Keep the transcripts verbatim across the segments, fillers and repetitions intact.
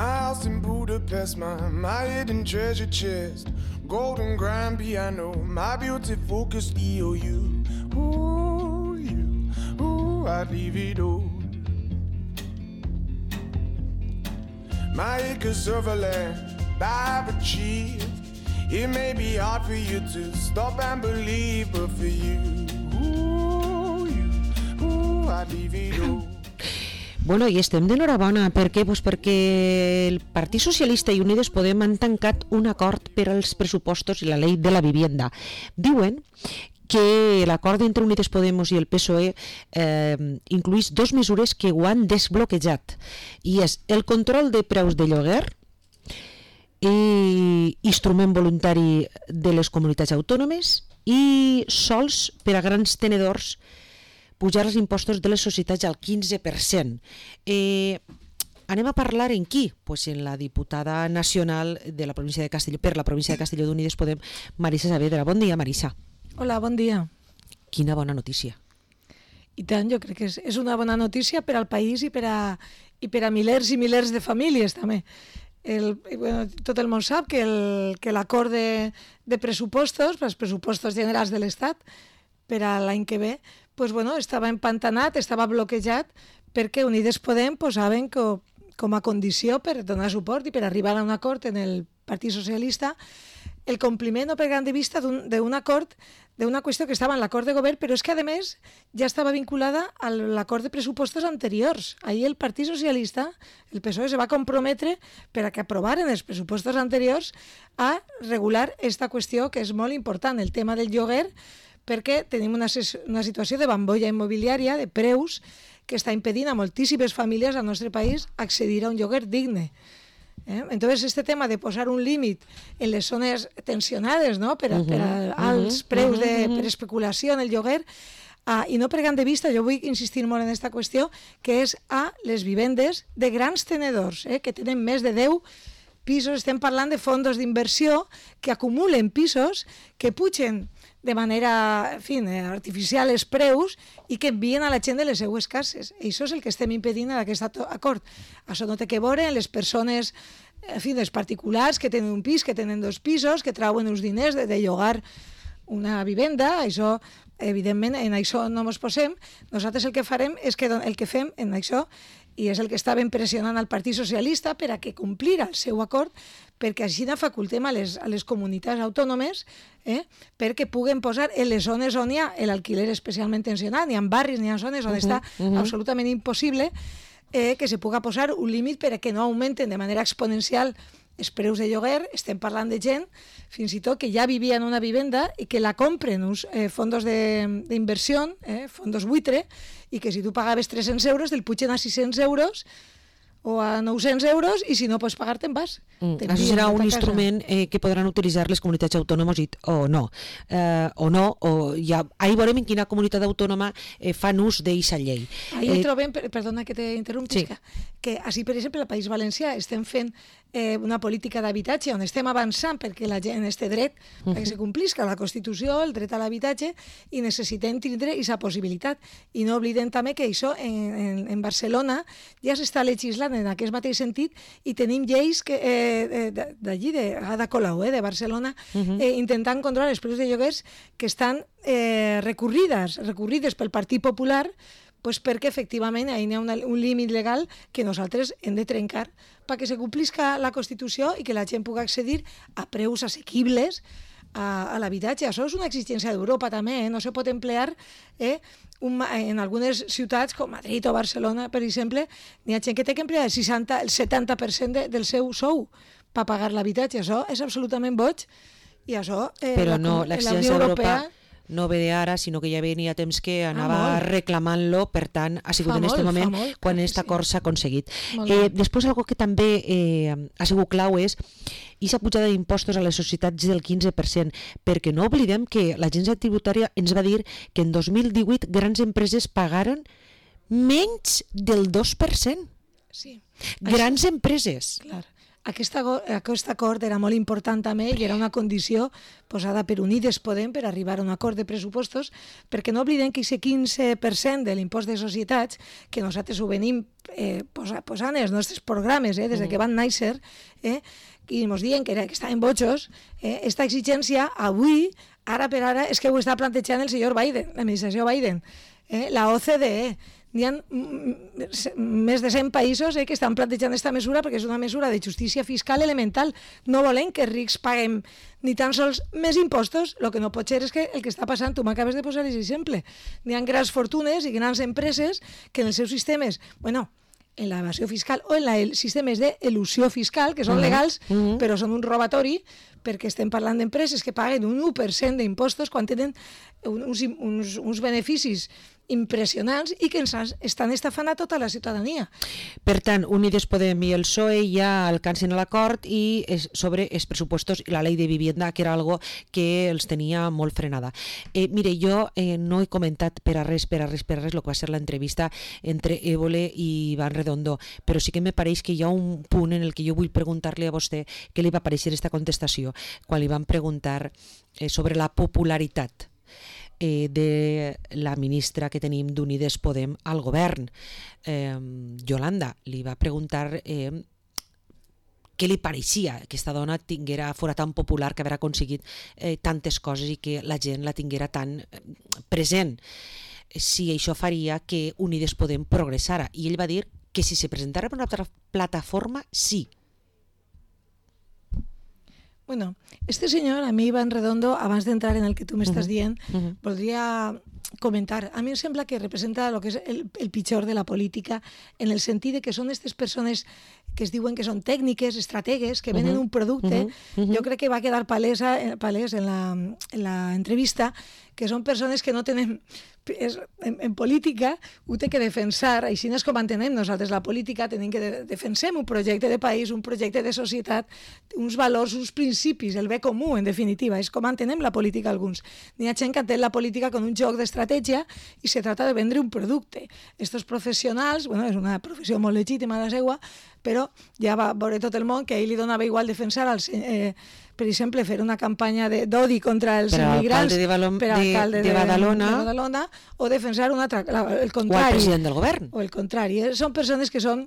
My house in Budapest, my, my hidden treasure chest, golden grand piano, my beauty focused E O U. Ooh, you, ooh, I'd leave it all. My acres of land I've achieved. It may be hard for you to stop and believe, but for you, ooh, you, ooh, I'd leave it all. Bueno, i estem d'enhorabona. Per què? Pues perquè el Partit Socialista i Unides Podem han tancat un acord per als pressupostos i la llei de la vivienda. Diuen que l'acord entre Unides Podemos i el P S O E eh, incluïs dos mesures que ho han desbloquejat, i és el control de preus de lloguer i instrument voluntari de les comunitats autònomes i sols per a grans tenedors pujar els impostos de les societats al quinze per cent. Eh, anem a parlar en qui? Pues en la diputada nacional de la província de Castelló, per la província de Castelló d'Unides Podem, Marisa Saavedra. Bon dia, Marisa. Hola, bon dia. Quina bona notícia. I tant, jo crec que és, és una bona notícia per al país i per a, i per a milers i milers de famílies també. El, bueno, tot el món sap que el, que l'acord de, de pressupostos, els pressupostos generals de l'Estat per a l'any que ve, pues, bueno, estava empantanat, estava bloquejat perquè Unides Podem posaven co, com a condició per donar suport i per arribar a un acord en el Partit Socialista el compliment o perdent de vista d'un acord, d'una qüestió que estava en l'acord de govern, però és que, a més, ja estava vinculada a l'acord de pressupostos anteriors. Ahir el Partit Socialista, el P S O E, se va comprometre per a que aprovaren els pressupostos anteriors a regular aquesta qüestió que és molt important, el tema del lloguer, perquè tenim una, una situació de bombolla immobiliària, de preus, que està impedint a moltíssimes famílies al nostre país accedir a un lloguer digne. Eh? Entonces, este tema de posar un límit en les zones tensionades, ¿no? per, a, uh -huh, per a alts uh -huh, preus de, uh -huh. per especulació en el lloguer, uh, i no perdent de vista, jo vull insistir molt en aquesta qüestió, que és a les vivendes de grans tenedors, eh? que tenen més de deu pisos. Estem parlant de fondos d'inversió que acumulen pisos, que pugen de manera, en fi, artificial els preus i que envien a la gent de les seues cases. I això és el que estem impedint en aquest acord. Això no té que veure en les persones, en fi, els particulars que tenen un pis, que tenen dos pisos, que trauen uns diners de, de llogar una vivenda. Això, evidentment, en això no ens posem. Nosaltres el que farem és que el que fem en això, i és el que estàvem pressionant al Partit Socialista per a que complira el seu acord, perquè així facultem a les, a les comunitats autònomes eh, perquè puguen posar en les zones on hi ha l'alquiler especialment tensionat, ni en barris ni en zones on uh -huh, està uh -huh. absolutament impossible eh, que se puga posar un límit per a que no augmenten de manera exponencial els preus de lloguer. Estem parlant de gent, fins i tot, que ja vivia en una vivenda i que la compren uns eh, fondos d'inversió, eh, fondos buitre, i que si tu pagaves tres-cents euros, te'l pugen a sis-cents euros o a nou-cents euros, i si no pots pagar te'n vas. Mm, això serà un instrument eh, que podran utilitzar les comunitats autònomes i, o no. Eh, o no, o ja, ahir veurem en quina comunitat autònoma eh, fan ús d'aquesta llei. Ahir eh, trobem, perdona que t'interrompis, sí. que així, per exemple, al País Valencià estem fent eh, una política d'habitatge on estem avançant perquè la gent este dret, uh -huh. perquè se complisca la Constitució, el dret a l'habitatge, i necessitem tindre aquesta possibilitat. I no oblidem també que això en, en, en Barcelona ja s'està legislant en aquest mateix sentit, i tenim lleis que eh, d'allí, de Ada Colau, eh, de Barcelona, uh -huh. eh, intentant controlar els preus de lloguers que estan eh, recurrides, recurrides pel Partit Popular, pues perquè efectivament hi ha una, un límit legal que nosaltres hem de trencar perquè se complisca la Constitució i que la gent pugui accedir a preus assequibles a, a l'habitatge. Això és una exigència d'Europa també, eh? No se pot emplear eh, un, en algunes ciutats com Madrid o Barcelona, per exemple, n'hi ha gent que té que emplear el, seixanta, el setanta per cent de, del seu sou per pagar l'habitatge. Això és absolutament boig, i això eh, Però no, la, la Unió Europea no ve d'ara, sinó que ja venia temps que anava ah, reclamant-lo, per tant, ha sigut fa en aquest moment molt, quan aquest acord s'ha aconseguit. Eh, després, algo que també eh, ha sigut clau és aquesta pujada d'impostos a les societats del quinze per cent, perquè no oblidem que l'agència tributària ens va dir que en dos mil divuit grans empreses pagaren menys del dos per cent. Sí. Grans això, empreses. Clar. aquest, aquest acord era molt important també i era una condició posada per Unides Podem per arribar a un acord de pressupostos, perquè no oblidem que aquest quinze per cent de l'impost de societats, que nosaltres ho venim eh, posant en els nostres programes eh, des que van néixer, eh, i ens diuen que, era, que estaven bojos, eh, aquesta exigència avui, ara per ara, és que ho està plantejant el senyor Biden, l'administració Biden, eh, la O C D E. N'hi ha més de cent països eh, que estan plantejant aquesta mesura perquè és una mesura de justícia fiscal elemental. No volem que els rics paguem ni tan sols més impostos. El que no pot ser és que el que està passant, tu m'acabes de posar l'exemple, n'hi ha grans fortunes i grans empreses que en els seus sistemes, bueno, en l'evasió fiscal o en els sistemes d'elusió fiscal, que són legals, uh-huh. però són un robatori, perquè estem parlant d'empreses que paguen un u per cent d'impostos quan tenen uns, uns, uns beneficis impressionants i que ens estan estafant a tota la ciutadania. Per tant, Unides Podem i el P S O E ja alcancen l'acord i és sobre els pressupostos i la llei de vivienda, que era algo que els tenia molt frenada. Eh, mire, jo eh, no he comentat per a res, per a res, per a res el que va ser l'entrevista entre Évole i Iván Redondo, però sí que me pareix que hi ha un punt en el que jo vull preguntar-li a vostè què li va pareixer aquesta contestació, quan li van preguntar eh, sobre la popularitat Eh, de la ministra que tenim d'Unides Podem al govern. Eh, Yolanda li va preguntar eh, què li pareixia que aquesta dona tinguera, fora tan popular, que haver aconseguit eh, tantes coses i que la gent la tinguera tan eh, present. Si això faria que Unides Podem progressara. I ell va dir que si se presentara per una altra plataforma, sí. Bueno, este señor, a mi Iván Redondo, abans d'entrar en el que tu m'estàs dient, uh-huh. voldria comentar. A mi em sembla que representa el que és el, el pitjor de la política, en el sentit de que són aquestes persones que es diuen que són tècniques, estrategues, que venen uh-huh. un producte. Uh-huh. Uh-huh. Jo crec que va quedar palesa, palès en la, en la entrevista que són persones que no tenen... És, en, en política ho té que defensar, així és com entenem nosaltres la política, tenim que de, defensem un projecte de país, un projecte de societat, uns valors, uns principis, el bé comú, en definitiva, és com entenem la política alguns. N'hi ha gent que entén la política com un joc d'estratègia i se trata de vendre un producte. Estos professionals, bueno, és una professió molt legítima la seua, però ja va veure tot el món que a ell li donava igual defensar els... Eh, per exemple, fer una campanya d'odi contra els per immigrants de Balon, per alcalde de, de, Badalona, de Badalona o defensar una altra, el contrari. O el president del govern. O el contrari. Són persones que són,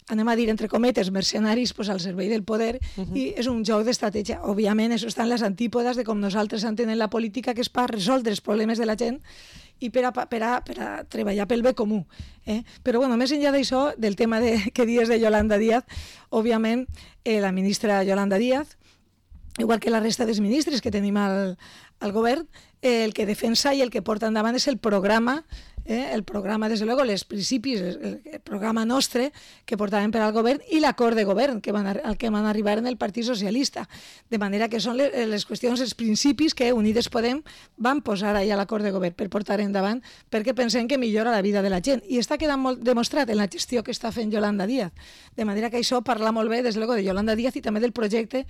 anem a dir, entre cometes, mercenaris pues, al servei del poder uh-huh. i és un joc d'estratègia. Òbviament, això està en les antípodes de com nosaltres entenem la política, que és per resoldre els problemes de la gent i per a, per a, per a treballar pel bé comú. Eh? Però, bueno, més enllà d'això, del tema de, que dies de Yolanda Díaz, òbviament, eh, la ministra Yolanda Díaz, igual que la resta dels ministres que tenim al, al govern, eh, el que defensa i el que porta endavant és el programa, eh, el programa, des de luego, els principis, el, el programa nostre que portàvem per al govern i l'acord de govern que van, al que van arribar en el Partit Socialista. De manera que són les, les qüestions, els principis que Unides Podem van posar allà a l'acord de govern per portar endavant, perquè pensem que millora la vida de la gent. I està quedant molt demostrat en la gestió que està fent Yolanda Díaz. De manera que això parla molt bé, des de luego, de Yolanda Díaz i també del projecte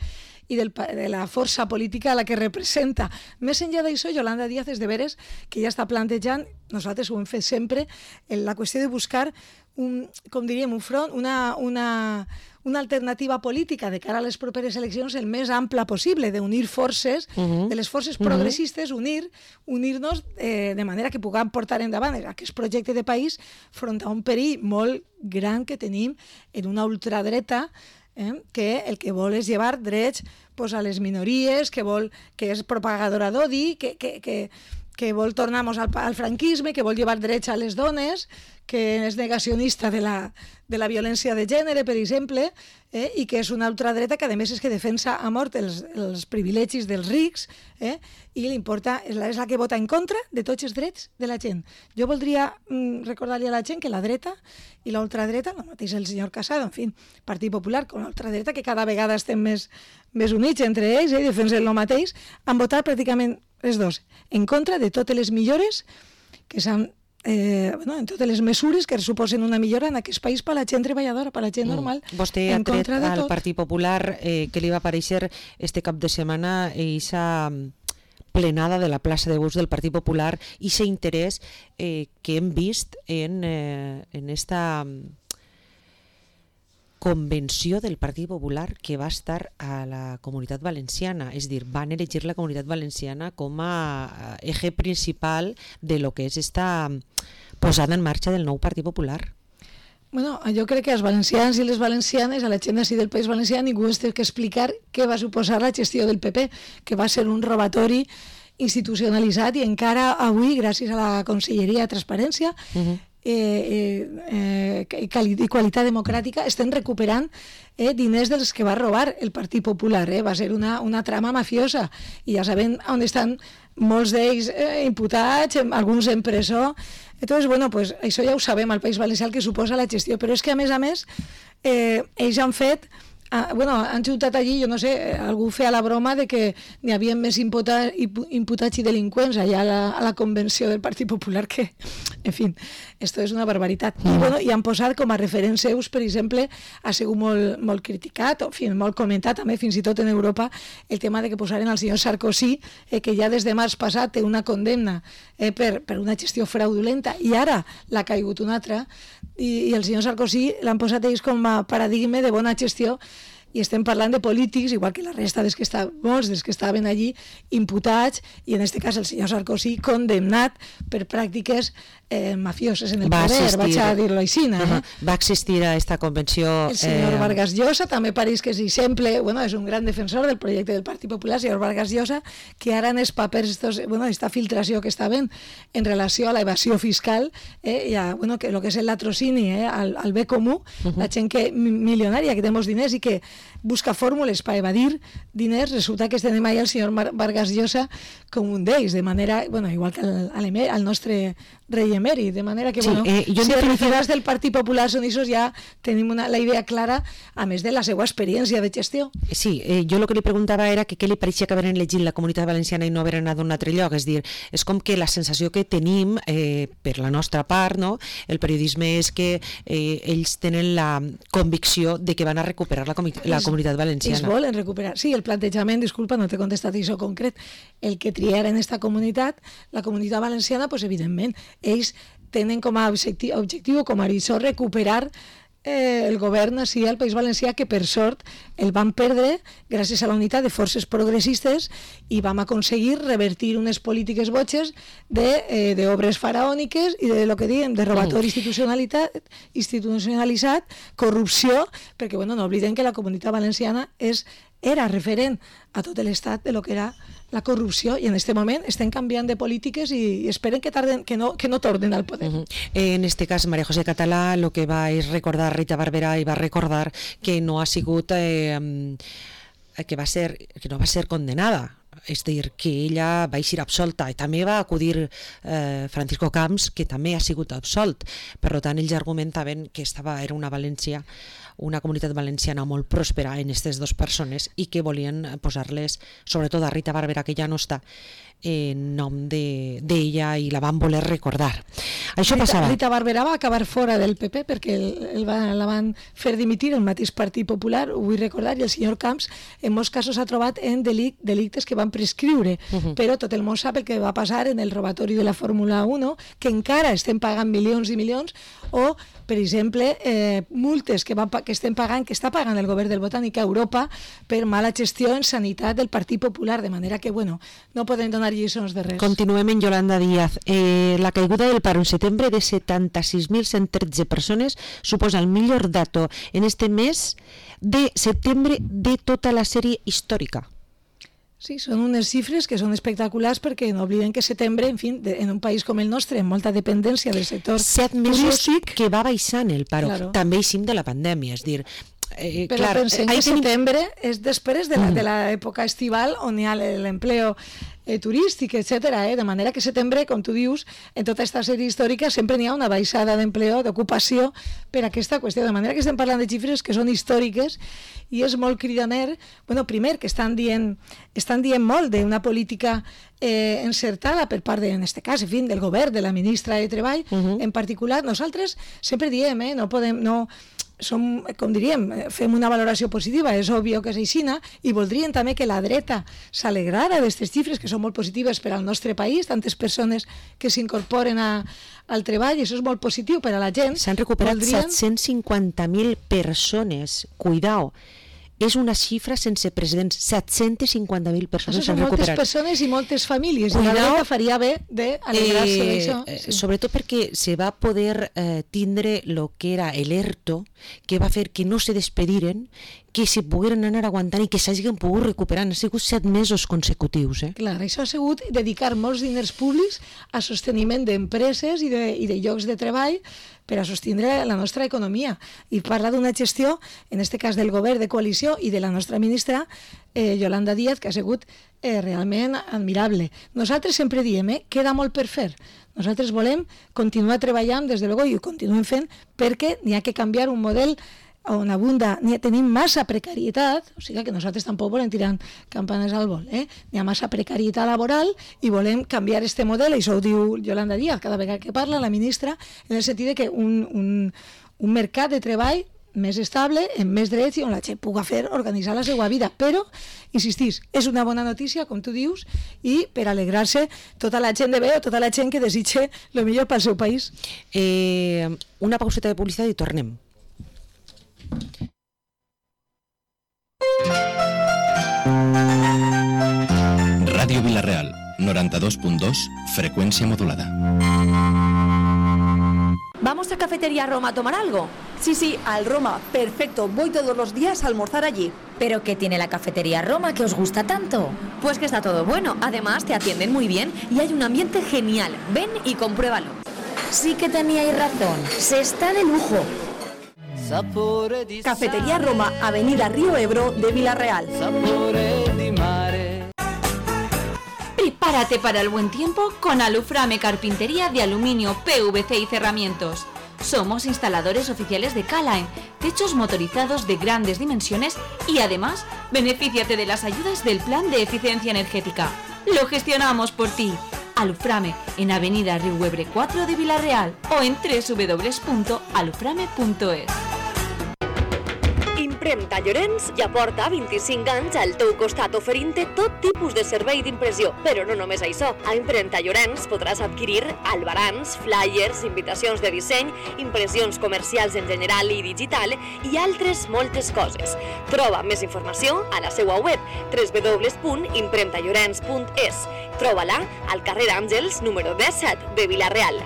i del, de la força política a la que representa. Més enllà d'això, Yolanda Díaz és de veres que ja està plantejant, nosaltres ho hem fet sempre, en la qüestió de buscar un, com diríem, un front, una, una, una alternativa política de cara a les properes eleccions el més ampla possible, d'unir forces, uh-huh. de les forces progressistes, unir, unir-nos eh, de manera que puguem portar endavant aquest projecte de país front a un perill molt gran que tenim en una ultradreta eh, que el que vol és llevar drets pues, a les minories, que vol que és propagadora d'odi, que, que, que, que vol tornar-nos al, al franquisme, que vol llevar drets a les dones, que és negacionista de la, de la violència de gènere, per exemple, eh, i que és una ultradreta que, a més, és que defensa a mort els, els privilegis dels rics, eh, i li importa, és la, és la que vota en contra de tots els drets de la gent. Jo voldria mm, recordar-li a la gent que la dreta i la ultradreta, el mateix el senyor Casado, en fi, Partit Popular, com la ultradreta, que cada vegada estem més, més units entre ells, eh, i defensen el mateix, han votat pràcticament els dos en contra de totes les millores que s'han Eh, bueno, en totes les mesures que suposen una millora en aquest país per a la gent treballadora, per a la gent normal. Mm. Vostè ha tret al Partit Popular eh, que li va aparèixer este cap de setmana aquesta plenada de la plaça de Bus del Partit Popular i aquest interès eh, que hem vist en, eh, en esta convenció del Partit Popular que va estar a la Comunitat Valenciana, és a dir, van elegir la Comunitat Valenciana com a eje principal de lo que és esta posada en marxa del nou Partit Popular. Bueno, jo crec que els valencians i les valencianes, a la gent d'ací del País Valencià, ningú es té que explicar què va suposar la gestió del P P, que va ser un robatori institucionalitzat i encara avui, gràcies a la Conselleria de Transparència uh-huh. eh, eh, i qualitat democràtica, estem recuperant eh, diners dels que va robar el Partit Popular. Eh? Va ser una, una trama mafiosa i ja sabem on estan molts d'ells eh, imputats, alguns en presó. Entonces, bueno, pues això ja ho sabem al País Valencià que suposa la gestió, però és que a més a més eh, ells han fet Ah, bueno, han juntat allí, jo no sé, algú feia la broma de que n'hi havia més imputa, imputats i delinqüents allà a la, a la convenció del Partit Popular que, en fi, esto és una barbaritat. I, bueno, i han posat com a referents seus, per exemple, ha sigut molt, molt criticat, o en fi, molt comentat també, fins i tot en Europa, el tema de que posaren al senyor Sarkozy, eh, que ja des de març passat té una condemna eh, per, per una gestió fraudulenta, i ara l'ha caigut una altra, i, i el senyor Sarkozy l'han posat ells com a paradigma de bona gestió, i estem parlant de polítics, igual que la resta dels que estaven, molts dels que estaven allí imputats, i en aquest cas el senyor Sarkozy condemnat per pràctiques eh, mafioses en el va poder, assistir, vaig a dir-lo així. Uh -huh. eh? Va assistir a esta convenció... El senyor eh... Vargas Llosa, també pareix que és exemple, bueno, és un gran defensor del projecte del Partit Popular, el senyor Vargas Llosa, que ara en els papers, estos, bueno, esta filtració que estaven en relació a la evasió fiscal, eh, i a, bueno, que lo que és el latrocini eh, al, al bé comú, uh -huh. la gent que, milionària que té molts diners i que busca fórmules per evadir diners, resulta que tenim ahí el senyor Vargas Llosa com un d'ells, de manera, bueno, igual que al, al nostre rei emèrit, de manera que, sí, bueno, eh, jo si els referents del Partit Popular són aquests, ja tenim una, la idea clara, a més de la seva experiència de gestió. Sí, eh, jo el que li preguntava era que què li pareixia que haveren elegit la Comunitat Valenciana i no haver anat a un altre lloc, és dir, és com que la sensació que tenim, eh, per la nostra part, no? El periodisme és que eh, ells tenen la convicció de que van a recuperar la, comi la Comunitat Valenciana. Ells volen recuperar, sí, el plantejament, disculpa, no t'he contestat això concret, el que triaren esta comunitat, la Comunitat Valenciana, pues evidentment, ells tenen com a objectiu, objectiu com a horitzó recuperar eh, el govern així al País Valencià, que per sort el van perdre gràcies a la unitat de forces progressistes i vam aconseguir revertir unes polítiques botxes d'obres eh, faraòniques i de lo que diem, de robatori institucionalitzat, corrupció, perquè bueno, no oblidem que la Comunitat Valenciana és, era referent a tot l'estat de lo que era la corrupció, i en aquest moment estem canviant de polítiques i esperen que tarden, que no, que no tornen al poder. Uh-huh. En este cas, María José Català el que va és recordar Rita Barberà i va recordar que no ha sigut eh, que va ser que no va ser condenada, és a dir, que ella va eixir absolta, i també va acudir eh, Francisco Camps, que també ha sigut absolt. Per tant, ells argumentaven que estava, era una València, una comunitat valenciana molt pròspera en aquestes dues persones i que volien posar-les, sobretot a Rita Barberà, que ja no està, en nom d'ella, i la van voler recordar. Això Rita, passava. Rita Barberà va acabar fora del P P perquè el, el va, la van fer dimitir el mateix Partit Popular, ho vull recordar, i el senyor Camps en molts casos ha trobat en delic, delictes que van prescriure, uh -huh. però tot el món sap el que va passar en el robatori de la Fórmula uno, que encara estem pagant milions i milions, o, per exemple, eh, multes que, van, que estem pagant, que està pagant el govern del Botànic a Europa per mala gestió en sanitat del Partit Popular, de manera que, bueno, no podem donar lliçons de res. Continuem en Yolanda Díaz. Eh, la caiguda del paro en setembre de setanta-sis mil cent tretze persones suposa el millor dato en este mes de setembre de tota la sèrie històrica. Sí, són unes xifres que són espectaculars perquè no oblidem que setembre, en fi, de, en un país com el nostre, amb molta dependència del sector Set mesos turístic, que va baixant el paro. Claro. També eixim de la pandèmia, és dir... Eh, Però clar, pensem que tenim... setembre és després de l'època estival on hi ha l'empleo eh, turístic, etcètera. Eh? De manera que setembre, com tu dius, en tota aquesta sèrie històrica sempre n'hi ha una baixada d'empleo, d'ocupació per aquesta qüestió. De manera que estem parlant de xifres que són històriques i és molt cridaner. Bueno, primer, que estan dient, estan dient molt d'una política eh, encertada per part, de, en aquest cas, en fi, del govern, de la ministra de Treball, uh-huh. en particular. Nosaltres sempre diem, eh, no podem... No, som, com diríem, fem una valoració positiva, és òbvio que és aixina, i voldríem també que la dreta s'alegrara d'aquestes xifres que són molt positives per al nostre país, tantes persones que s'incorporen a, al treball, i això és molt positiu per a la gent. S'han recuperat voldrien... set-cents cinquanta mil persones, cuidao, és una xifra sense precedents, set-cents cinquanta mil persones s'han recuperat. Moltes persones i moltes famílies, cuidao, i la dreta faria bé d'alegrar-se eh, d'això. Sí. Sobretot perquè se va poder eh, tindre el que era l'ERTO, que va fer que no se despediren, que se pogueren anar aguantant i que s'hagin pogut recuperar. Han sigut set mesos consecutius. Eh? Clar, això ha sigut dedicar molts diners públics a sosteniment d'empreses i, de, i de llocs de treball per a sostindre la nostra economia. I parla d'una gestió, en aquest cas del govern de coalició i de la nostra ministra, eh, Yolanda Díaz, que ha sigut eh, realment admirable. Nosaltres sempre diem, eh, queda molt per fer. Nosaltres volem continuar treballant, des de luego, i ho continuem fent, perquè n'hi ha que canviar un model on abunda, tenim massa precarietat, o sigui que nosaltres tampoc volem tirar campanes al vol, eh? N'hi ha massa precarietat laboral i volem canviar este model, i això ho diu Yolanda Díaz cada vegada que parla, la ministra, en el sentit de que un, un, un mercat de treball més estable, amb més drets i on la gent pugui fer, organitzar la seva vida. Però, insistís, és una bona notícia, com tu dius, i per alegrar-se tota la gent de bé o tota la gent que desitja el millor pel seu país. Eh, una pauseta de publicitat i tornem. Radio Vila-real, noventa y dos punto dos, frecuencia modulada. ¿Vamos a Cafetería Roma a tomar algo? Sí, sí, al Roma. Perfecto, voy todos los días a almorzar allí. ¿Pero qué tiene la Cafetería Roma que os gusta tanto? Pues que está todo bueno, además te atienden muy bien y hay un ambiente genial. Ven y compruébalo. Sí que teníais razón, se está de lujo. Cafetería Roma, Avenida Río Ebro de Vila-real. Prepárate para el buen tiempo con Aluframe Carpintería de Aluminio, P V C y Cerramientos. Somos instaladores oficiales de K-Line, techos motorizados de grandes dimensiones y además benefíciate de las ayudas del Plan de Eficiencia Energética. Lo gestionamos por ti. Aluframe en Avenida Río Ebro cuatro de Vila-real o en doble u doble u doble u punto aluframe punto es. Impremta Llorenç ja porta vint-i-cinc anys al teu costat oferint-te tot tipus de servei d'impressió. Però no només això. A Impremta Llorenç podràs adquirir albarans, flyers, invitacions de disseny, impressions comercials en general i digital i altres moltes coses. Troba més informació a la seva web doble u doble u doble u punt impremta llorenç punt es. Troba-la al carrer Àngels número disset de Vila-real.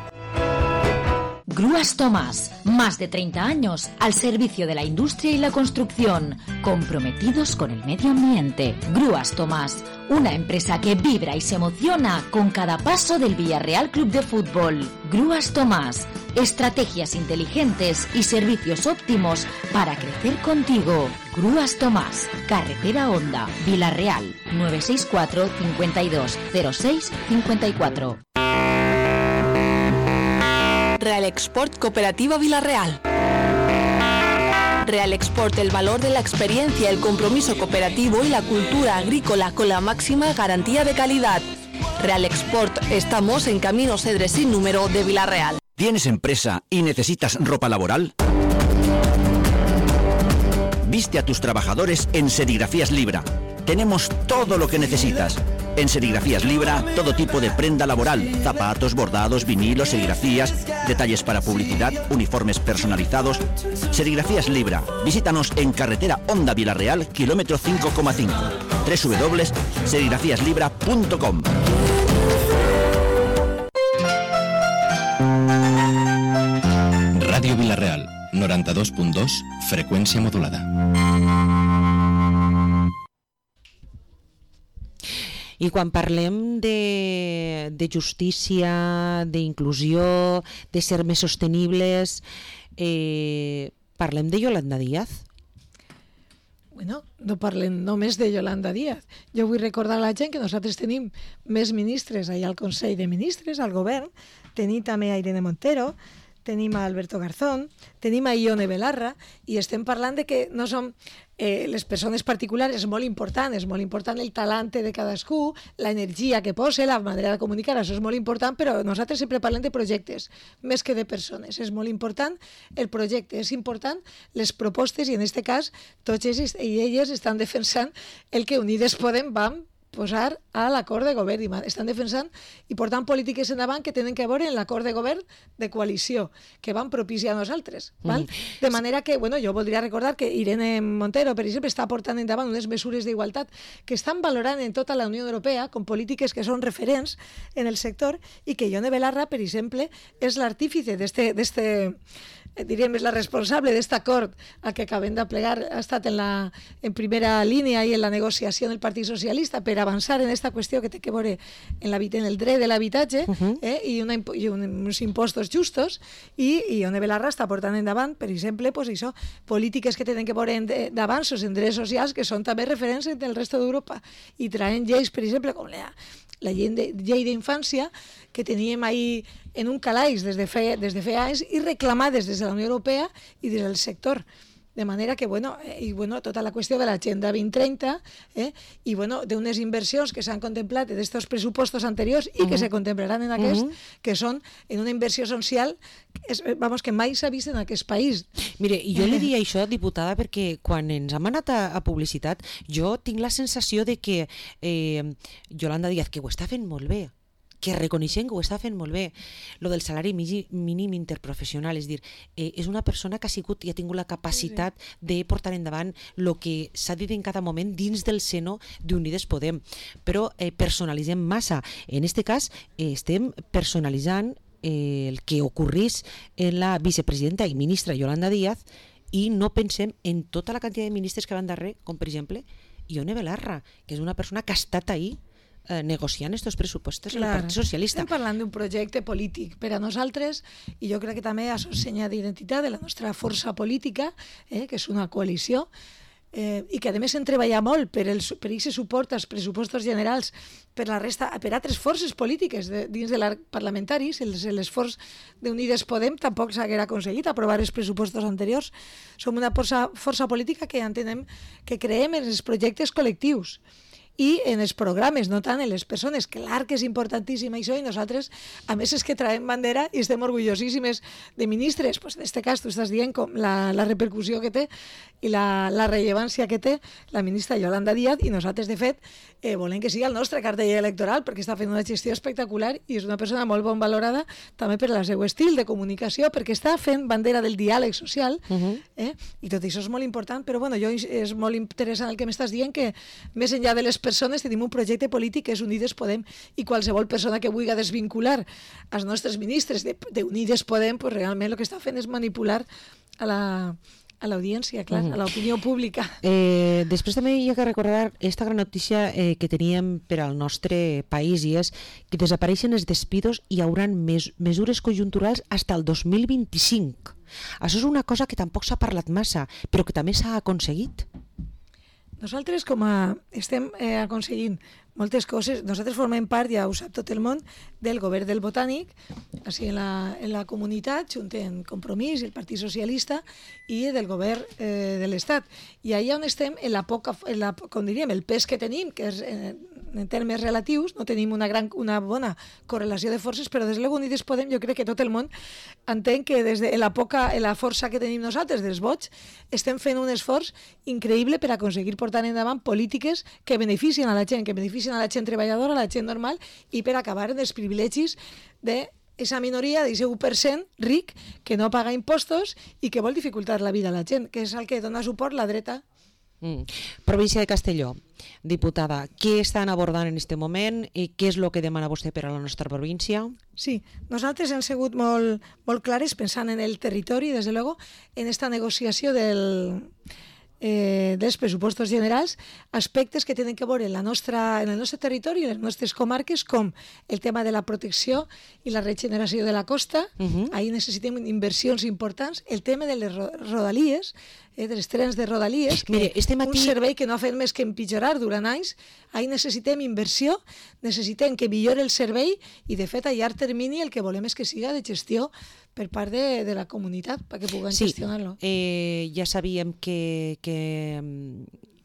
Grúas Tomás, más de treinta años al servicio de la industria y la construcción, comprometidos con el medio ambiente. Grúas Tomás, una empresa que vibra y se emociona con cada paso del Villarreal Club de Fútbol. Grúas Tomás, estrategias inteligentes y servicios óptimos para crecer contigo. Grúas Tomás, Carretera Honda, Vila-real, nueve seis cuatro, cincuenta y dos, cero seis, cincuenta y cuatro. Real Export Cooperativa Vila-real. Real Export, el valor de la experiencia, el compromiso cooperativo y la cultura agrícola con la máxima garantía de calidad. Real Export, estamos en Camino Cedre sin número de Vila-real. ¿Tienes empresa y necesitas ropa laboral? Viste a tus trabajadores en Serigrafías Libra. Tenemos todo lo que necesitas. En Serigrafías Libra, todo tipo de prenda laboral, zapatos, bordados, vinilos, serigrafías, detalles para publicidad, uniformes personalizados. Serigrafías Libra. Visítanos en Carretera Honda Vila-real, kilómetro cinco coma cinco. doble u doble u doble u punto serigrafías libra punto com. Radio Vila-real, noventa y dos punto dos, frecuencia modulada. I quan parlem de, de justícia, d'inclusió, de ser més sostenibles, eh, parlem de Yolanda Díaz? Bueno, no parlem només de Yolanda Díaz. Jo vull recordar a la gent que nosaltres tenim més ministres allà al Consell de Ministres, al govern. Tenim també a Irene Montero, tenim a Alberto Garzón, tenim a Ione Belarra, i estem parlant de que no som eh, les persones particulars, és molt important, és molt important el talent de cadascú, l'energia que posa, la manera de comunicar, això és molt important, però nosaltres sempre parlem de projectes, més que de persones. És molt important el projecte, és important les propostes, i en aquest cas tots ells i elles estan defensant el que Unides Podem vam posar a l'acord de govern, i estan defensant i portant polítiques endavant que tenen que veure en l'acord de govern de coalició que van propiciar nosaltres, val? Mm. De manera que, bueno, jo voldria recordar que Irene Montero, per exemple, està portant endavant unes mesures d'igualtat que estan valorant en tota la Unió Europea com polítiques que són referents en el sector, i que Ione Belarra, per exemple, és l'artífice d'este, d'este diríem, és la responsable d'aquest acord al que acabem de plegar, ha estat en, la, en primera línia i en la negociació del Partit Socialista per avançar en aquesta qüestió que té que veure en, en el dret de l'habitatge, uh-huh. eh, i, una, i un, uns impostos justos, i, i Ione Belarra està portant endavant, per exemple, pues això, polítiques que tenen que veure d'avanços en drets socials que són també referents del resto d'Europa, i traient lleis, per exemple, com la, la llei de, llei d'infància, que teníem ahí en un calaix des de fe, des de fa anys, i reclamades des de la Unió Europea i des del sector. De manera que, bueno, eh, i, bueno, tota la qüestió de l'Agenda vint trenta, eh, i, bueno, d'unes inversions que s'han contemplat d'estos pressupostos anteriors i uh-huh. que se contemplaran en aquest, uh-huh. que són en una inversió social és, vamos, que mai s'ha vist en aquest país. Mire, jo li diria això, diputada, perquè quan ens hem anat a, a publicitat, jo tinc la sensació de que eh, Yolanda Díaz, que ho està fent molt bé, que reconeixem que ho està fent molt bé. Lo del salari mínim interprofessional, és dir, eh, és una persona que ha sigut i ha tingut la capacitat sí, sí. de portar endavant el que s'ha dit en cada moment dins del seno d'Unides Podem. Però eh, personalitzem massa. En aquest cas, eh, estem personalitzant eh, el que ocorrís en la vicepresidenta i ministra Yolanda Díaz, i no pensem en tota la quantitat de ministres que van darrere, com per exemple Ione Belarra, que és una persona que ha estat ahí Eh, negociant aquests pressupostos en el Partit Socialista. Estem parlant d'un projecte polític per a nosaltres, i jo crec que també és senya d'identitat de la nostra força política, eh, que és una coalició, eh, i que a més hem treballat molt per el per aquest suport als pressupostos generals per la resta, per altres forces polítiques de, dins de l'arc parlamentari. L'esforç d'Unides Podem tampoc s'haguera aconseguit aprovar els pressupostos anteriors. Som una força, força política que entenem que creem en els projectes col·lectius i en els programes, no tant en les persones, que l'arc és importantíssim això, i nosaltres, a més, és que traiem bandera i estem orgullosíssimes de ministres. Pues en aquest cas tu estàs dient com la, la repercussió que té i la, la rellevància que té la ministra Yolanda Díaz, i nosaltres, de fet, eh, volem que sigui el nostre cartell electoral, perquè està fent una gestió espectacular i és una persona molt bon valorada també per el seu estil de comunicació, perquè està fent bandera del diàleg social, uh-huh. eh? I tot això és molt important, però bueno, jo és molt interessant el que m'estàs dient, que més enllà de les persones tenim un projecte polític que és Unides Podem, i qualsevol persona que vulgui desvincular els nostres ministres d'Unides Podem, pues realment el que està fent és manipular a la a l'audiència, clar, uh-huh. a l'opinió pública. Eh, després també hi ha que recordar aquesta gran notícia eh, que teníem per al nostre país, i és que desapareixen els despidos i hi haurà mes mesures conjunturals fins al dos mil vint-i-cinc. Això és una cosa que tampoc s'ha parlat massa, però que també s'ha aconseguit. Nosaltres, com a estem eh, aconseguint moltes coses, nosaltres formem part, ja ho sap tot el món, del govern del Botànic, així en la, en la comunitat, junt en Compromís i el Partit Socialista, i del govern eh, de l'Estat. I allà on estem, en la poca, en la, com diríem, el pes que tenim, que és en, en termes relatius, no tenim una, gran, una bona correlació de forces, però des de l'Unides Podem, jo crec que tot el món entén que des de la poca, en la força que tenim nosaltres, dels vots, estem fent un esforç increïble per aconseguir portar endavant polítiques que beneficien a la gent, que beneficien a la gent treballadora, a la gent normal, i per acabar en els privilegis de esa minoria, d'aquest u per cent ric que no paga impostos i que vol dificultar la vida a la gent, que és el que dona suport la dreta. Mm. Província de Castelló, diputada, què estan abordant en aquest moment i què és el que demana vostè per a la nostra província? Sí, nosaltres hem sigut molt, molt clares pensant en el territori, des de luego, en esta negociació del... Eh, dels pressupostos generals, aspectes que tenen que veure en, la nostra, en el nostre territori i en les nostres comarques, com el tema de la protecció i la regeneració de la costa. Uh-huh. Ahí necessitem inversions importants, el tema de les rodalies, eh, dels trens de rodalies, que Mire, este matí... un servei que no ha fet més que empitjorar durant anys. Ahí necessitem inversió, necessitem que millori el servei, i de fet a llarg termini el que volem és que siga de gestió per part de, de la comunitat perquè puguen sí, gestionar-lo. Eh, ja sabíem que, que,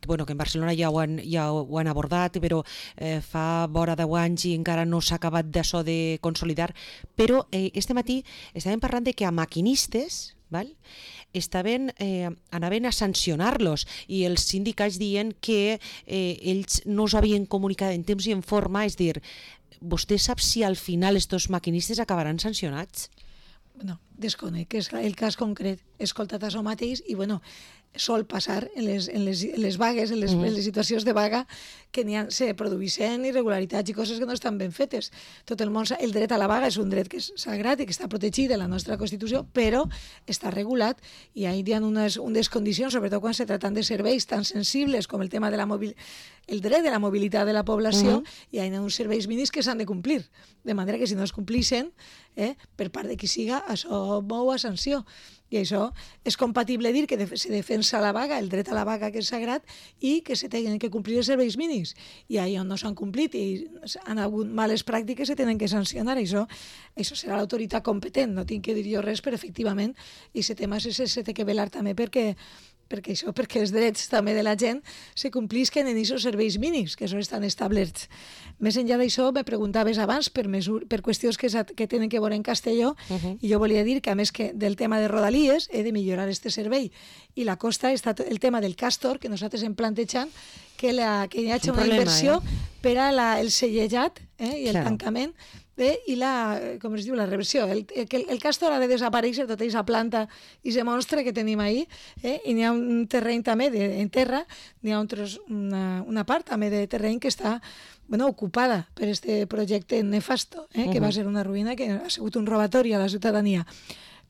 que, bueno, que en Barcelona ja ho han, ja ho han abordat, però eh, fa vora deu anys i encara no s'ha acabat d'això de consolidar, però eh, este matí estàvem parlant de que a maquinistes, val? estaven, eh, anaven a sancionar-los i els sindicats diuen que eh, ells no us havien comunicat en temps i en forma, és dir, vostè sap si al final estos maquinistes acabaran sancionats? Bueno, desconec, que és el cas concret, he escoltat això mateix i bueno, sol passar en les, en les, en les vagues, en les, mm. en les situacions de vaga, que n'hi ha, se produeixen irregularitats i coses que no estan ben fetes. Tot el món, el dret a la vaga és un dret que és sagrat i que està protegit de la nostra Constitució, però està regulat i hi ha unes, unes condicions, sobretot quan se tracten de serveis tan sensibles com el tema de la mobilitat, el dret de la mobilitat de la població, mm-hmm. i hi ha uns serveis mínims que s'han de complir, de manera que si no es complixen, eh, per part de qui siga, això mou a sanció. I això és compatible dir que se defensa la vaga, el dret a la vaga que és sagrat, i que se tenen que complir els serveis mínims. I allà on no s'han complit i han hagut males pràctiques se tenen que sancionar. Això, això serà l'autoritat competent, no tinc que dir jo res, però efectivament aquest tema se, se té que velar també perquè perquè això, perquè els drets també de la gent se complisquen en aquests serveis mínims, que això estan establerts. Més enllà d'això, me preguntaves abans per, mesur, per qüestions que, que tenen que veure en Castelló, uh-huh. i jo volia dir que, a més que del tema de Rodalies, he de millorar este servei, i la costa està el tema del Castor, que nosaltres hem plantejat, que, la, que hi hagi una problema, inversió eh? per a la, el sellejat eh, i el claro. tancament, Eh, i la, com es diu, la reversió. El, el, el Castor ha de desaparèixer tota aquesta planta i aquest monstre que tenim ahí, eh, i n'hi ha un terreny també de, en terra, n'hi ha un tros, una, una part també de terreny que està bueno, ocupada per este projecte nefasto, eh, que uh-huh. va ser una ruïna, que ha sigut un robatori a la ciutadania.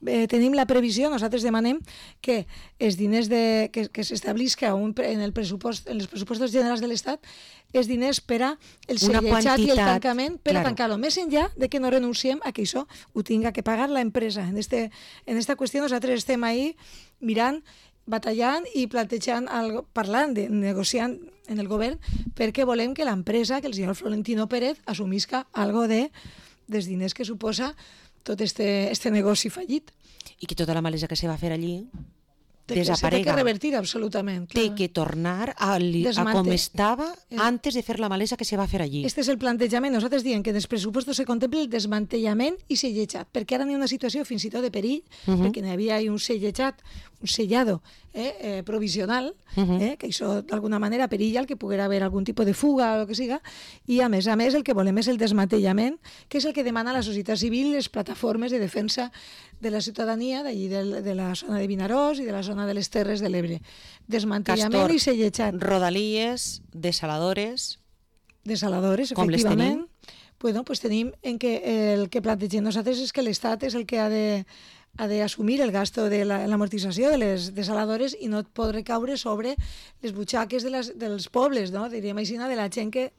Eh, tenim la previsió, nosaltres demanem que els diners de, que, que s'establisca un, en, el pressupost, en els pressupostos generals de l'Estat els diners per a el sellejat i el tancament per claro. a tancar-lo. Més enllà de que no renunciem a que això ho tinga que pagar l'empresa. En, este, en esta qüestió nosaltres estem ahí mirant, batallant i plantejant, algo, parlant, de, negociant en el govern, perquè volem que l'empresa, que el senyor Florentino Pérez, assumisca algo de, dels diners que suposa tot este, este negoci fallit. I que tota la malesa que se va fer allí Té desaparega. Té que revertir absolutament. Té que tornar a, li, a com estava antes de fer la malesa que se va fer allí. Este és el plantejament. Nosaltres diem que en els pressupostos se contempla el desmantellament i sellejat, perquè ara n'hi ha una situació fins i tot de perill, uh-huh. perquè n'hi havia un sellejat, un sellado eh, eh, provisional, uh-huh. eh, que això d'alguna manera perilla el que poguera haver algun tipus de fuga o el que siga, i a més a més el que volem és el desmantellament, que és el que demana la societat civil i les plataformes de defensa de la ciutadania d'allí de, de la zona de Vinaròs i de la zona de les Terres de l'Ebre. Desmantellament Castor, i sellejat. Rodalies, desaladores... Desaladores, com efectivament. Bueno, pues tenim en que el que plantegem nosaltres és que l'Estat és el que ha de ha d'assumir el gasto de l'amortització de les desaladores i no pot recaure sobre les butxaques de les, dels pobles, no? Diríem així, de la gent que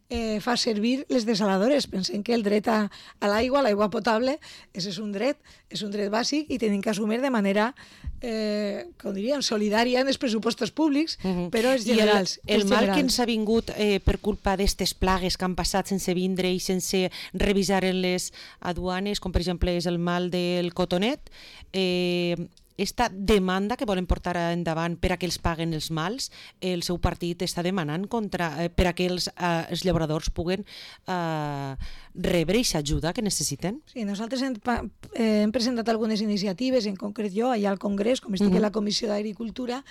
eh, fa servir les desaladores. Pensem que el dret a, a l'aigua, a l'aigua potable, és, és un dret, és un dret bàsic i tenim que assumir de manera, eh, com diríem, solidària en els pressupostos públics, uh-huh. però els generals. I el, el els mal generals. que ens ha vingut eh, per culpa d'aquestes plagues que han passat sense vindre i sense revisar en les aduanes, com per exemple és el mal del cotonet, eh, esta demanda que volen portar endavant per a que els paguen els mals, el seu partit està demanant contra, eh, per a que els, eh, els llauradors puguen eh, rebre aquesta ajuda que necessiten. Sí, nosaltres hem, eh, hem presentat algunes iniciatives, en concret jo, allà al Congrés, com estic uh-huh. a la Comissió d'Agricultura,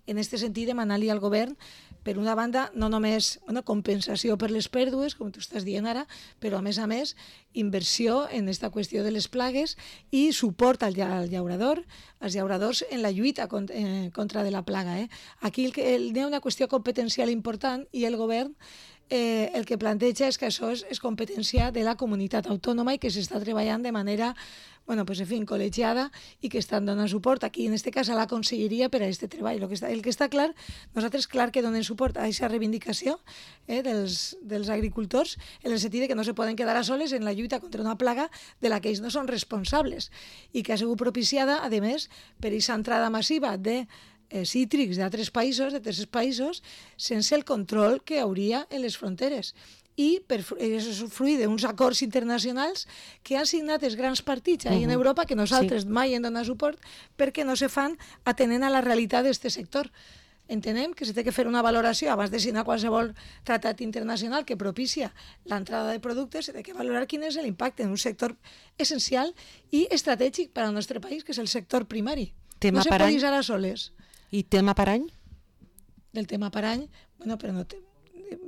en aquest sentit demanar-li al govern, per una banda, no només bueno, compensació per les pèrdues, com tu estàs dient ara, però a més a més inversió en aquesta qüestió de les plagues i suport al, al llaurador, als llauradors en la lluita contra, eh, contra de la plaga. Eh? Aquí el que, el, hi ha una qüestió competencial important i el govern eh, el que planteja és que això és, és competència de la comunitat autònoma i que s'està treballant de manera bueno, pues, en fin, col·legiada i que estan donant suport aquí, en aquest cas, a la Conselleria per a aquest treball. El que està, el que està clar, nosaltres clar que donem suport a aquesta reivindicació eh, dels, dels agricultors en el sentit que no se poden quedar a soles en la lluita contra una plaga de la que ells no són responsables i que ha sigut propiciada, a més, per aquesta entrada massiva de eh, cítrics d'altres països, de tercers països, sense el control que hauria en les fronteres. i per, és fruit d'uns acords internacionals que han signat els grans partits ahí uh-huh. en Europa, que nosaltres sí. mai hem donat suport perquè no se fan atenent a la realitat d'aquest sector. Entenem que s'ha de fer una valoració abans de signar qualsevol tractat internacional que propicia l'entrada de productes, s'ha de valorar quin és l'impacte en un sector essencial i estratègic per al nostre país, que és el sector primari. Tema no se pot deixar a soles. I tema per any? Del tema per any, bueno, però no té...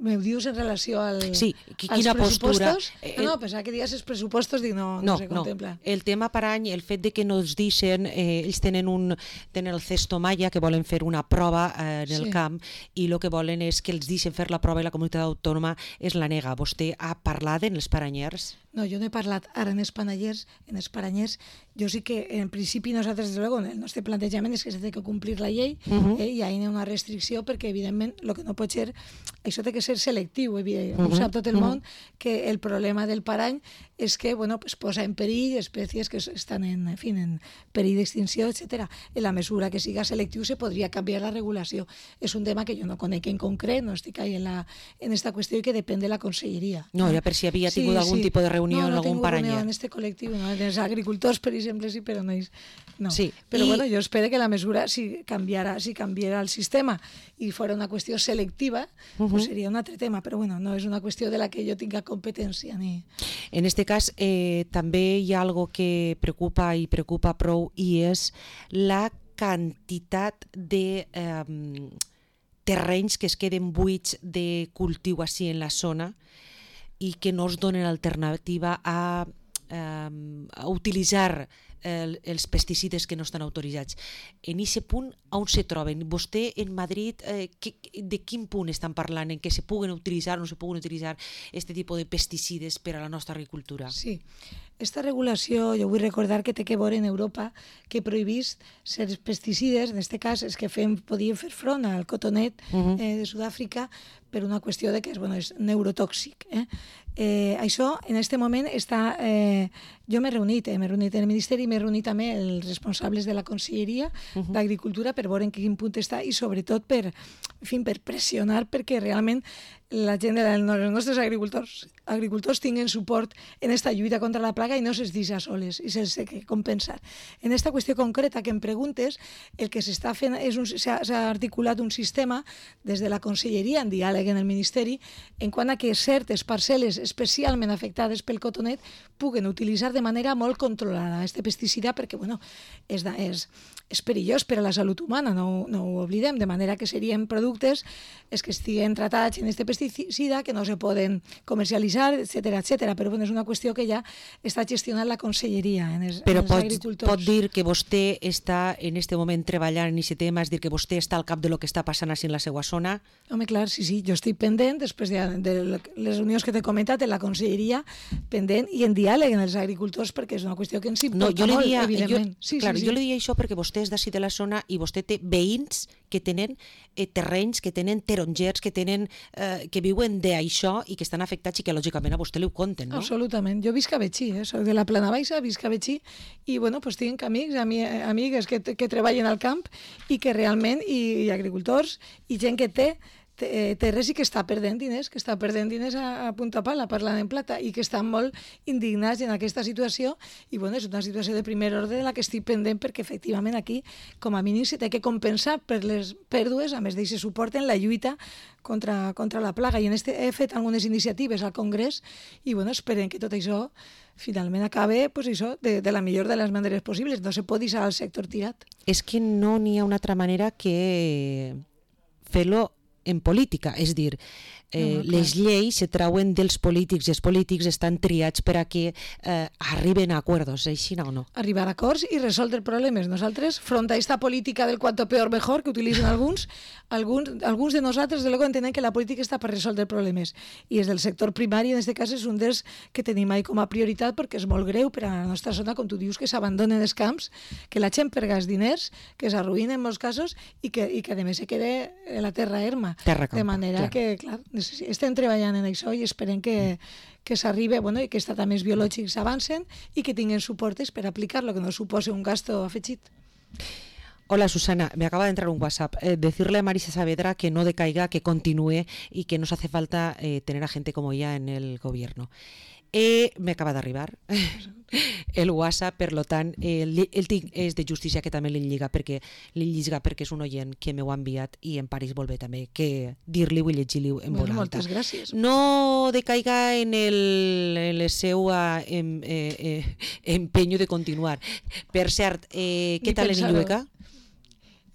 Me ho dius en relació al, sí, als pressupostos? Postura? El... No, pensava que dies els pressupostos, dic, no, no, no se contempla. No. El tema per any, el fet de que no ens deixen, eh, ells tenen, un, tenen el cesto Maya, que volen fer una prova eh, en el sí. camp, i el que volen és que els deixen fer la prova i la comunitat autònoma és la nega. Vostè ha parlat en els paranyers? No, jo no he parlat ara en els paranyers, en els paranyers, jo sí que en principi nosaltres, des de luego, el nostre plantejament és que s'ha de complir la llei uh-huh. eh, i hi ha una restricció perquè, evidentment, el que no pot ser, això té que ser selectiu, evidentment. Uh-huh. Ho sap tot el món que el problema del parany és que bueno, pues posa en perill espècies que estan en, en, fi, en perill d'extinció, etcètera. En la mesura que siga selectiu se podria canviar la regulació. És un tema que jo no conec en concret, no estic ahí en, la, en esta qüestió i que depèn de la conselleria. No, ja per si havia tingut sí, algun sí. tipus de reunió no, en no algun paranyer. No, no tinc reunió en este col·lectiu, no? Els agricultors, per exemple, sí, però no. no. Sí. Però I... bueno, jo espero que la mesura, si canviara, si canviara el sistema i fora una qüestió selectiva, uh-huh. pues seria un altre tema, però bueno, no és una qüestió de la que jo tinga competència. Ni... En este cas, eh, també hi ha algo que preocupa i preocupa prou i és la quantitat de eh, terrenys que es queden buits de cultiu així en la zona i que no es donen alternativa a, eh, a utilitzar el, els pesticides que no estan autoritzats. En aquest punt, on se troben? Vostè en Madrid, eh, que, de quin punt estan parlant? En què se puguen utilitzar o no se puguen utilitzar aquest tipus de pesticides per a la nostra agricultura? Sí. Esta regulació, jo vull recordar que té que veure en Europa que prohibís certs pesticides, en aquest cas és que fem, podíem fer front al cotonet uh-huh. eh, de Sud-àfrica per una qüestió de que és, bueno, és neurotòxic. Eh? Eh, això, en aquest moment, està... Eh, jo m'he reunit, eh, m'he reunit en el Ministeri i m'he reunit també els responsables de la Conselleria uh-huh. d'Agricultura per veure en quin punt està i sobretot per, en fi, per pressionar perquè realment la gent dels nostres agricultors, agricultors tinguen suport en aquesta lluita contra la plaga i no se'ls deixa soles i se'ls té que compensar. En aquesta qüestió concreta que em preguntes, el que s'està fent és un, s'ha, s'ha articulat un sistema des de la Conselleria en diàleg en el Ministeri en quant a que certes parcel·les especialment afectades pel cotonet puguen utilitzar de manera molt controlada aquest pesticida perquè bueno, és, és, és perillós per a la salut humana, no, no ho oblidem, de manera que serien productes els que estiguen tratats en aquest pesticida que no se poden comercialitzar, etcètera, etcètera. Però bueno, és una qüestió que ja està gestionant la Conselleria en els, Però en els pot, agricultors. pot dir que vostè està en aquest moment treballant en aquest tema, és dir, que vostè està al cap de lo que està passant així en la seva zona? Home, clar, sí, sí, jo estic pendent, després de, de les reunions que t'he comentat en la Conselleria, pendent i en diàleg en els agricultors, perquè és una qüestió que ens importa no, jo molt, dia, evidentment. Jo, sí, clar, sí, sí. jo li diria això perquè vostè és d'ací de la zona i vostè té veïns que tenen eh, terrenys, que tenen tarongers, que tenen eh, que viuen d'això i que estan afectats i que lògicament a vostè li ho conten, no? Absolutament. Jo visc a Betxí, eh? Soc de la Plana Baixa, visc a Betxí i bueno, pues tinc amics, ami, amigues que, que treballen al camp i que realment, i, i agricultors, i gent que té terres i que està perdent diners, que està perdent diners a, a punta pala, parlant en plata, i que estan molt indignats en aquesta situació, i bueno, és una situació de primer ordre de la que estic pendent perquè efectivament aquí, com a mínim, se té que compensar per les pèrdues, a més d'aquest suport en la lluita contra, contra la plaga. I en este he fet algunes iniciatives al Congrés i bueno, esperen que tot això finalment acabe pues, això, de, de la millor de les maneres possibles. No se pot deixar el sector tirat. És que no n'hi ha una altra manera que fer-lo en política, és dir, eh, no, no, les lleis se trauen dels polítics i els polítics estan triats per a que eh, arriben a acords, així no o no? Arribar a acords i resoldre problemes. Nosaltres, front a aquesta política del cuanto peor mejor que utilitzen alguns, alguns, alguns de nosaltres de luego entenem que la política està per resoldre problemes i és del sector primari, en aquest cas és un dels que tenim ahí com a prioritat perquè és molt greu per a la nostra zona, com tu dius, que s'abandonen els camps, que la gent perga els diners, que s'arruïnen en molts casos i que, i que a més se quede la terra erma. Terra campo, de manera clar. que, clar, estem treballant en això i esperem que, que s'arribi, bueno, i que els tractaments biològics avancen i que tinguin suportes per aplicar-lo, que no suposi un gasto afegit. Hola Susana, me acaba de entrar un WhatsApp. Eh, decirle a Marisa Saavedra que no decaiga, que continúe y que nos hace falta eh, tener a gente como ella en el gobierno. Eh, me acaba d'arribar el WhatsApp, per tant, eh, el tinc és de justícia, que també li lliga perquè li lliga perquè és un oient que m'ho ha enviat i en París vol bé també que dir-li-ho i llegir-li en bueno, voz alta. Moltes gràcies. No decaiga en el, en el seu em, eh, eh, empeño de continuar. Per cert, eh, què tal en Illueca?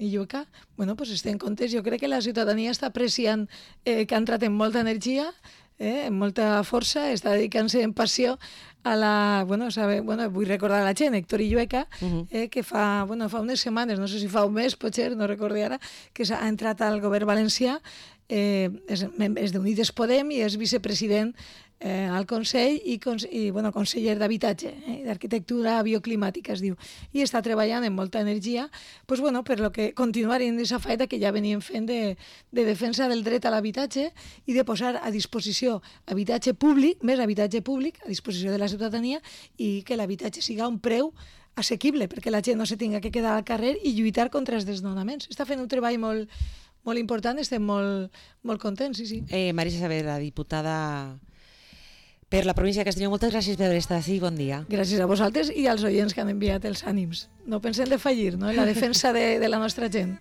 Illueca? Bueno, pues estem contents. Jo crec que la ciutadania està apreciant eh, que ha entrat en molta energia, eh, amb molta força, està dedicant-se en passió a la... Bueno, sabe, bueno, vull recordar a la gent, Héctor Illueca, uh-huh. eh, que fa, bueno, fa unes setmanes, no sé si fa un mes, potser, no recordo ara, que ha entrat al govern valencià, eh, és, és d'Unides Podem i és vicepresident eh, al Consell i, i bueno, conseller d'Habitatge, eh, d'Arquitectura Bioclimàtica es diu, i està treballant amb molta energia pues, bueno, per lo que continuar en aquesta feina que ja veníem fent de, de defensa del dret a l'habitatge i de posar a disposició habitatge públic, més habitatge públic a disposició de la ciutadania i que l'habitatge siga un preu assequible perquè la gent no se tinga que quedar al carrer i lluitar contra els desnonaments. Està fent un treball molt, molt important, estem molt, molt contents, sí, sí. Eh, Marisa Saavedra, diputada per la província de Castelló, moltes gràcies per haver estat aquí, bon dia. Gràcies a vosaltres i als oients que han enviat els ànims. No pensem de fallir, no?, en la defensa de, de la nostra gent.